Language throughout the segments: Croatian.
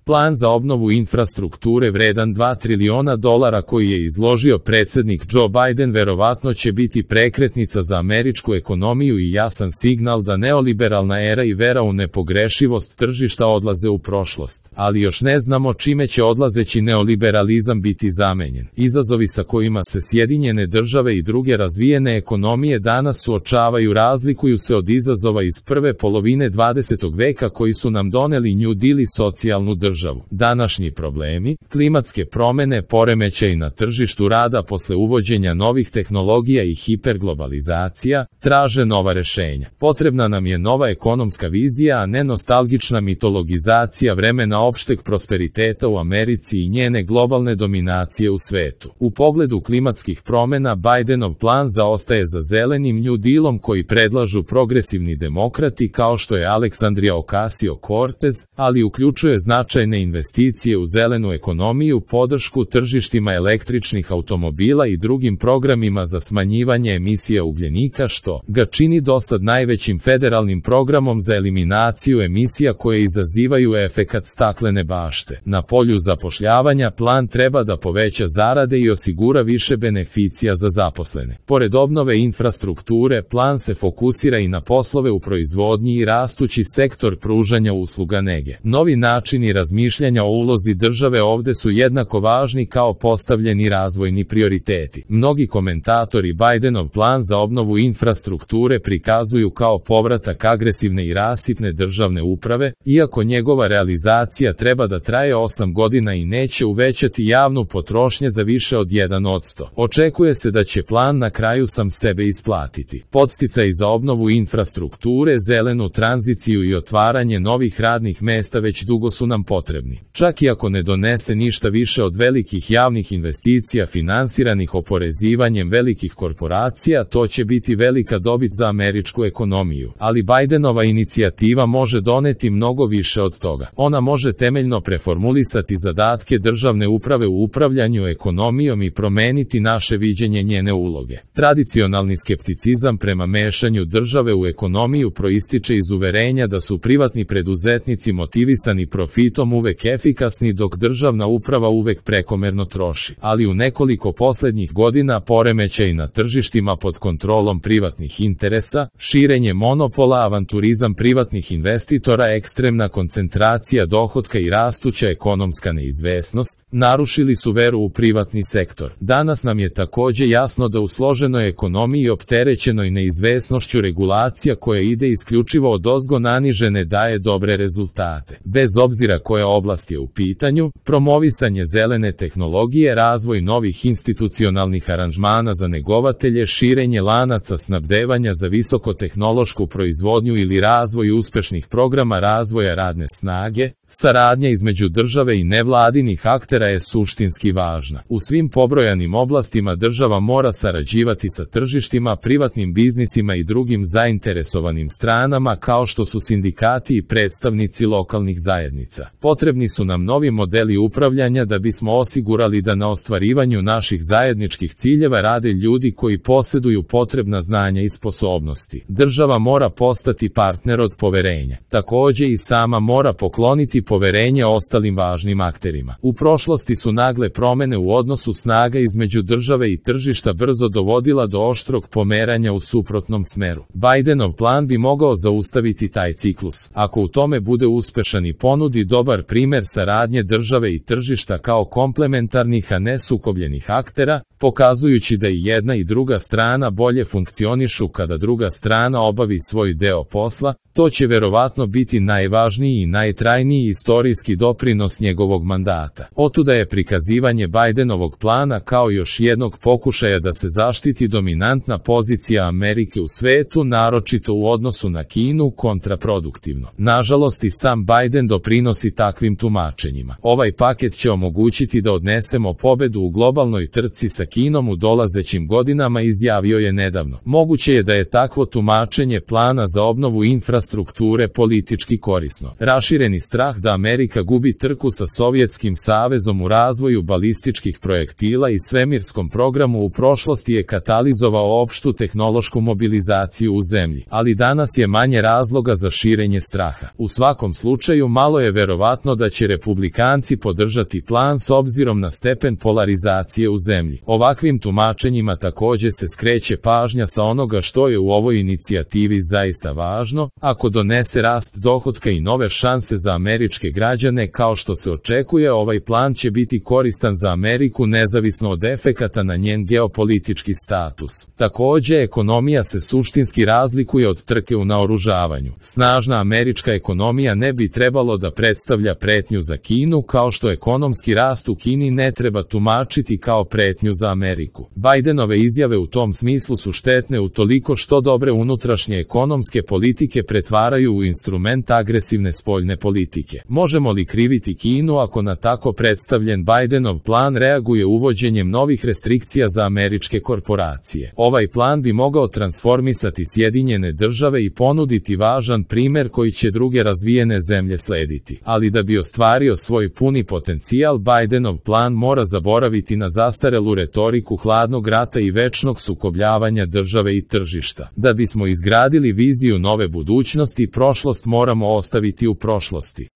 Plan za obnovu infrastrukture vredan $2 triliona koji je izložio predsjednik Joe Biden verovatno će biti prekretnica za američku ekonomiju i jasan signal da neoliberalna era i vera u nepogrešivost tržišta odlaze u prošlost. Ali još ne znamo čime će odlazeći neoliberalizam biti zamenjen. Izazovi sa kojima se Sjedinjene države i druge razvijene ekonomije danas suočavaju razlikuju se od izazova iz prve polovine 20. veka koji su nam doneli New Deal i socijalnu državu. Današnji problemi, klimatske promjene, poremećaji na tržištu rada posle uvođenja novih tehnologija i hiperglobalizacija, traže nova rješenja. Potrebna nam je nova ekonomska vizija, a ne nostalgična mitologizacija vremena opšteg prosperiteta u Americi i njene globalne dominacije u svetu. U pogledu klimatskih promjena Bidenov plan zaostaje za zelenim New Dealom koji predlažu progresivni demokrati kao što je Alexandria Ocasio-Cortez, ali uključuje značajne investicije u zelenu ekonomiju, podršku tržištima električnih automobila i drugim programima za smanjivanje emisija ugljenika što ga čini dosad najvećim federalnim programom za eliminaciju emisija koje izazivaju efekat staklene bašte. Na polju zapošljavanja plan treba da poveća zarade i osigura više beneficija za zaposlene. Pored obnove infrastrukture, plan se fokusira i na poslove u proizvodnji i rastući sektor pružanja usluga nege. Novi načini razmišljanja o ulozi države ovde su jednako važni kao postavljeni razvojni prioriteti. Mnogi komentatori Bidenov plan za obnovu infrastrukture prikazuju kao povratak agresivne i rasipne državne uprave, iako njegova realizacija treba da traje 8 godina i neće uvećati javnu potrošnju za više od 1%. Očekuje se da će plan na kraju sam sebe isplatiti. Podsticaji za obnovu infrastrukture, zelenu tranziciju i otvaranje novih radnih mesta već dugo su nam potrebni. Čak i ako ne donese ništa više od velikih javnih investicija finansiranih oporezivanjem velikih korporacija, to će biti velika dobit za američku ekonomiju. Ali Bidenova inicijativa može doneti mnogo više od toga. Ona može temeljno preformulisati zadatke državne uprave u upravljanju ekonomijom i promeniti naše viđenje njene uloge. Tradicionalni skepticizam prema mešanju države u ekonomiju proističe iz uverenja da su privatni preduzetnici motivisani profitom uvek efikasni dok državna uprava uvek prekomerno troši. Ali u nekoliko posljednjih godina poremećaj na tržištima pod kontrolom privatnih interesa, širenje monopola, avanturizam privatnih investitora, ekstremna koncentracija dohotka i rastuća ekonomska neizvesnost, narušili su veru u privatni sektor. Danas nam je također jasno da u složenoj ekonomiji opterećenoj neizvesnošću regulacija koja ide isključivo odozgo naniže ne daje dobre rezultate. Bez obzira koja oblast je u pitanju, promovisanje zelene tehnologije, razvoj novih institucionalnih aranžmana za negovatelje, širenje lanaca snabdevanja za visokotehnološku proizvodnju ili razvoj uspešnih programa razvoja radne snage, saradnja između države i nevladinih aktera je suštinski važna. U svim pobrojanim oblastima država mora sarađivati sa tržištima, privatnim biznisima i drugim zainteresovanim stranama kao što su sindikati i predstavnici lokalnih zajednica. Potrebni su nam novi modeli upravljanja da bismo osigurali da na ostvarivanju naših zajedničkih ciljeva rade ljudi koji posjeduju potrebna znanja i sposobnosti. Država mora postati partner od poverenja. Također i sama mora pokloniti poverenje ostalim važnim akterima. U prošlosti su nagle promjene u odnosu snaga između države i tržišta brzo dovodila do oštrog pomeranja u suprotnom smeru. Bidenov plan bi mogao zaustaviti taj ciklus. Ako u tome bude uspešan i ponudi dobar primjer saradnje države i tržišta kao komplementarnih a ne sukobljenih aktera, pokazujući da i jedna i druga strana bolje funkcionišu kada druga strana obavi svoj deo posla, to će verovatno biti najvažniji i najtrajniji istorijski doprinos njegovog mandata. Otuda je prikazivanje Bidenovog plana kao još jednog pokušaja da se zaštiti dominantna pozicija Amerike u svetu, naročito u odnosu na Kinu, kontraproduktivno. Nažalost i sam Biden doprinosi takvim tumačenjima. Ovaj paket će omogućiti da odnesemo pobedu u globalnoj trci sa Kinom u dolazećim godinama, izjavio je nedavno. Moguće je da je takvo tumačenje plana za obnovu infrastrukture infrastrukture politički korisno. Rašireni strah da Amerika gubi trku sa Sovjetskim savezom u razvoju balističkih projektila i svemirskom programu u prošlosti je katalizovao opštu tehnološku mobilizaciju u zemlji, ali danas je manje razloga za širenje straha. U svakom slučaju malo je verovatno da će republikanci podržati plan s obzirom na stepen polarizacije u zemlji. Ovakvim tumačenjima takođe se skreće pažnja sa onoga što je u ovoj inicijativi zaista važno, ako donese rast dohotka i nove šanse za američke građane kao što se očekuje, ovaj plan će biti koristan za Ameriku nezavisno od efekata na njen geopolitički status. Takođe, ekonomija se suštinski razlikuje od trke u naoružavanju. Snažna američka ekonomija ne bi trebalo da predstavlja pretnju za Kinu, kao što ekonomski rast u Kini ne treba tumačiti kao pretnju za Ameriku. Bidenove izjave u tom smislu su štetne utoliko što dobre unutrašnje ekonomske politike pretvaraju u instrument agresivne spoljne politike. Možemo li kriviti Kinu ako na tako predstavljen Bidenov plan reaguje uvođenjem novih restrikcija za američke korporacije? Ovaj plan bi mogao transformisati Sjedinjene države i ponuditi važan primer koji će druge razvijene zemlje slediti. Ali da bi ostvario svoj puni potencijal, Bidenov plan mora zaboraviti na zastarelu retoriku hladnog rata i večnog sukobljavanja države i tržišta. Da bismo izgradili viziju nove budućnosti, prošlost moramo ostaviti u prošlosti.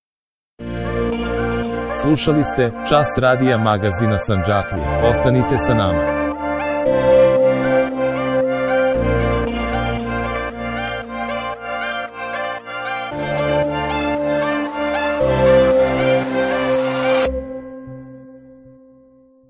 Slušali ste Čas radija magazina Sandžaklija. Ostanite sa nama.